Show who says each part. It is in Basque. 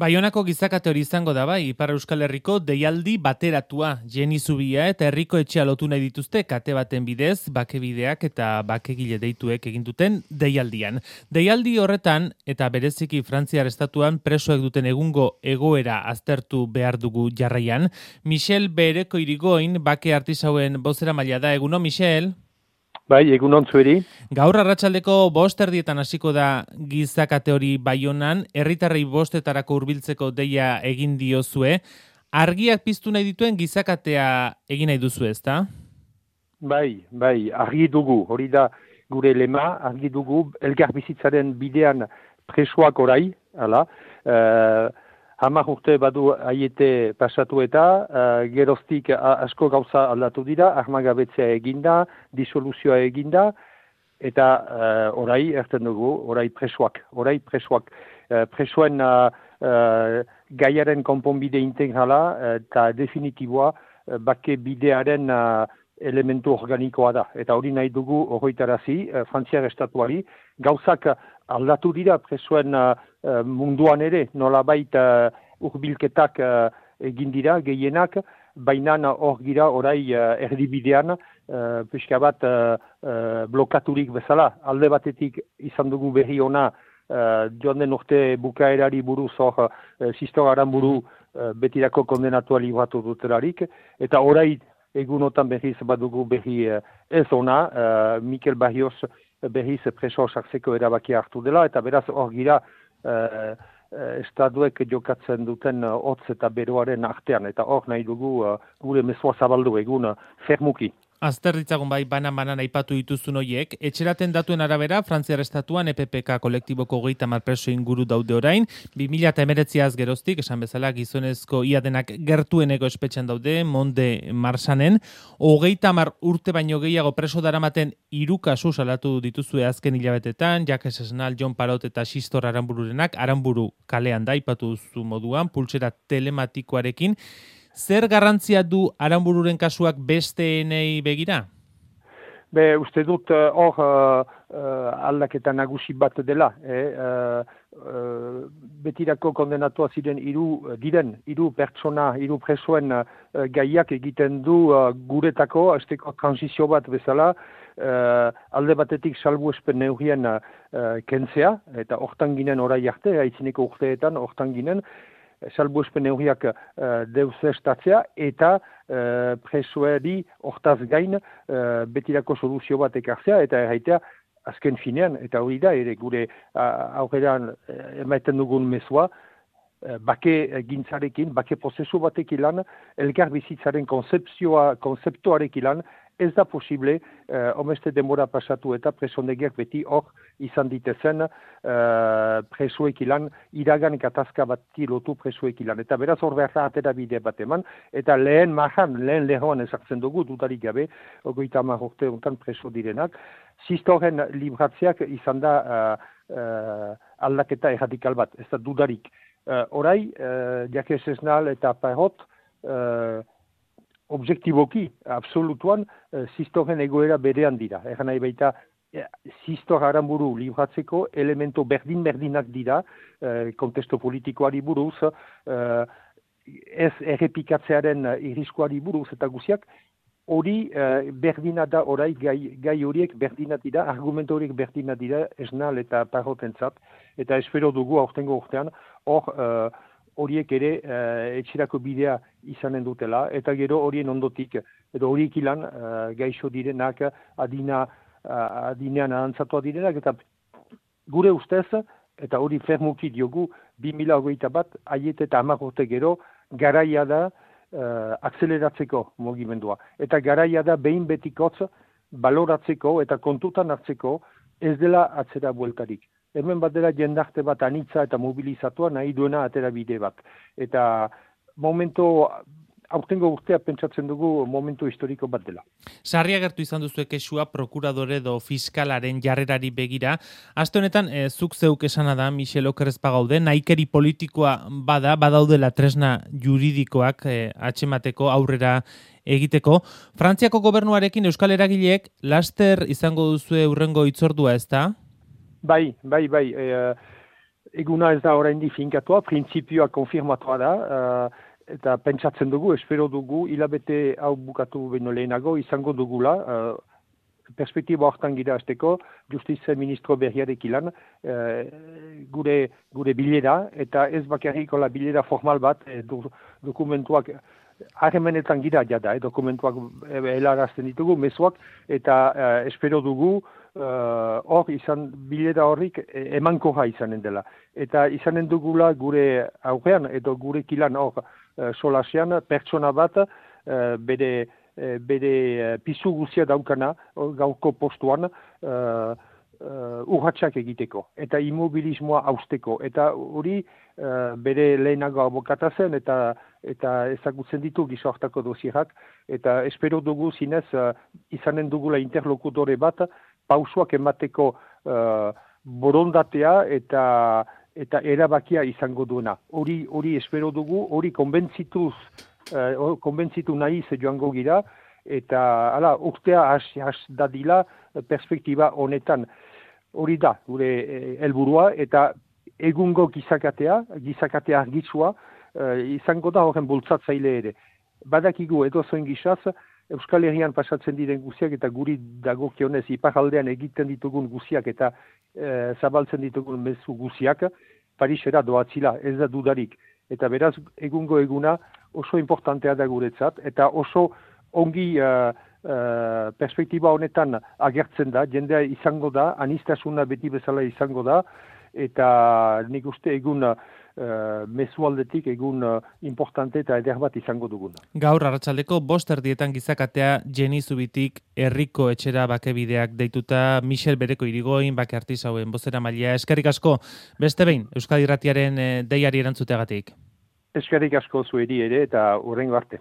Speaker 1: Baionako gizakate hori izango da bai, Ipar Euskal Herriko deialdi bateratua, Jeni Zubia eta herriko etxea lotu nahi dituzte kate baten bidez, bakebideak eta bakegile deituek egin duten deialdian. Deialdi horretan eta bereziki Frantziar estatuan presoek duten egungo egoera aztertu behar dugu jarraian. Michel Bereko Irigoin, bake artisauen bozeramailea da. Eguno, Michel?
Speaker 2: Bai, egunon zueri.
Speaker 1: Gaur arratsaldeko 5:00 hasiko da gizakate hori Baionan, herritarrei 5:00 hurbiltzeko deia egin diozue. Argiak piztu nahi dituen gizakatea egin nahi duzu, ezta?
Speaker 2: Bai, argi dugu, hori da gure lema, argi dugu, elkar bizitzaren bidean presoak orai, hala, 10 urte badu aiete pasatu eta geroztik asko gauza aldatu dira, armagabetzea eginda, disoluzioa eginda, eta orai erten dugu, orai presoak. Presoen gaiaren konponbide integrala eta definitiboa bake bidearen elementu organikoa da. Eta hori nahi dugu horretarazi, Frantziar estatuari, gauzak aldatu dira presoen munduan ere, nolabait urbilketak egin dira, gehienak, baina hor gira orai erdibidean, pixka bat blokaturik bezala. Alde batetik izan dugu berri ona, joan den urte bukaerari buruz hor, Sistor Aranburu betirako kondenatua libratu dutelarik, eta orai egunotan berriz badugu berri ez ona, Mikel Barrios berriz preso sartzeko erabakia hartu dela, eta beraz hor gira estatuek jokatzen duten hotz eta beroaren artean, eta hor nahi dugu gure mezua zabaldu egun fermuki.
Speaker 1: Azter ditzagun bai, banan aipatu dituzun horiek. Etxeraten datuen arabera, Frantziar estatuan EPPK kolektiboko 30 preso inguru daude orain, 2019az geroztik, esan bezala gizonezko ia denak gertueneko espetxean daude, Monde Marsanen, 30 urte baino gehiago preso daramaten 3 kasu salatu dituzue azken hilabetetan, Jacques Esnal, Jon Parot eta Sistor Aranbururenak, Aranburu kalean da, aipatu duzu moduan, pultsera telematikoarekin. Zer garrantzia du Aranbururen kasuak besteenei begira?
Speaker 2: Uste dut hor aldaketa nagusi bat dela. Betirako kondenatua ziren hiru pertsona, 3 presoen gaiak egiten du guretako, azteko transizio bat bezala, alde batetik salbuespen neurrien kentzea, eta hortan ginen orai arte, aitzineko urteetan hortan ginen, salbuespen neurriak deusestatzea eta presoeri hortaz gain betirako soluzio bat ekartzea eta erraitea azken finean, eta hori da ere gure aurrean emaiten dugun mezua, bake gintzarekin, bake prozesu batek ilan, elkar bizitzaren konzeptuarek ilan, ez da posible, omeste denbora pasatu eta presondegiak beti hor izan ditezen presoek ilan, iragan gatazka bati lotu presoek ilan. Eta beraz hor behar atera bide bat eman, eta lehen lehoan ezartzen dugu, dudarik gabe, 30 urte ontan preso direnak. Sistoren libratzeak izan da aldaketa erradikal bat, ez da dudarik. Orai, Jacques Esnal eta Parot, objektiboki, absolutuan, Sistoren egoera berean dira. Egan nahi baita, Sistor Aranburu libratzeko elemento berdin-berdinak dira, kontesto politikoari buruz, ez errepikatzearen irriskuari buruz eta guziak, hori berdina da orai, gai horiek berdina dira, argumento horiek berdina dira, Esnal eta Parotentzat, eta espero dugu aurtengo urtean, horiek ere etxerako bidea izanen dutela, eta gero horien ondotik, edo horiek ilan gaixo direnak, adinean arantzatua direnak, eta gure ustez, eta hori fermuki diogu, 2021, aiet eta 10 urte gero, garaia da akzeleratzeko mugimendua. Eta garaia da behin betikotz baloratzeko eta kontutan hartzeko ez dela atzera bueltarik. Hemen bat dela jendarte bat anitza eta mobilizatua nahi duena atera bide bat. Eta aurtengo urtea pentsatzen dugu momentu historiko bat dela.
Speaker 1: Sarri agertu izan duzu kexua prokuradore edo fiskalaren jarrerari begira. Aste honetan, zuk zeuk esana da, Michel Okerrez bagaude, nahikeri politikoa badaudela tresna juridikoak atxemateko aurrera egiteko. Frantziako gobernuarekin Euskal Eragileek laster izango duzue hurrengo hitzordua, ezta?
Speaker 2: Bai. eguna ez da oraindik finkatua, printzipioa konfirmatua da, eta pentsatzen dugu, espero dugu, hilabete hau bukatu beno lehenago, izango dugula, perspektiba hortan gira azteko, Justizia Ministro berriarek ilan, gure bilera, eta ez bakarrik la bilera formal bat, dokumentuak, harremenetan gira jada, dokumentuak helarazten ditugu, mezuak, eta espero dugu, hor bilera horrik emankorra izanen dela. Eta izanen dugula gure aurrean, edo gure kilan hor solasean, pertsona bat, bere pisu guzia daukana, gauko postuan, urratxak egiteko, eta immobilismoa hausteko. Eta hori bere lehenago abokata zen, eta ezagutzen ditu gizartako dosierak, eta espero dugu zinez izanen dugula interlokutore bat, pausoak emateko borondatea eta erabakia izango duena. Hori espero dugu, hori konbentzitu nahi joango gira, eta urtea has dadila perspektiba honetan. Hori da, gure helburua, eta egungo gizakatea argitzua, izango da horren bultzatzaile ere. Badakigu edo zoin gizaz, Euskal Herrian pasatzen diren guziak eta guri dagokionez iparaldean egiten ditugun guziak eta zabaltzen ditugun mezu guziak, Parisera doatzila, ez da dudarik. Eta beraz, egungo eguna oso importantea da guretzat, eta oso ongi perspektiba honetan agertzen da, jendea izango da, anistasuna beti bezala izango da, eta nik uste egun mezualdetik egun importante eta eder bat izango duguna.
Speaker 1: Gaur arratsaldeko 5:00 gizakatea Jenny Zubitik herriko etxera bakebideak deituta Michel Bereko Irigoin bake artisauen bozeramailea. Eskerrik asko beste behin Euskadi Irratiaren deiari erantzuteagatik.
Speaker 2: Eskerrik asko zueri ere eta hurrengo arte.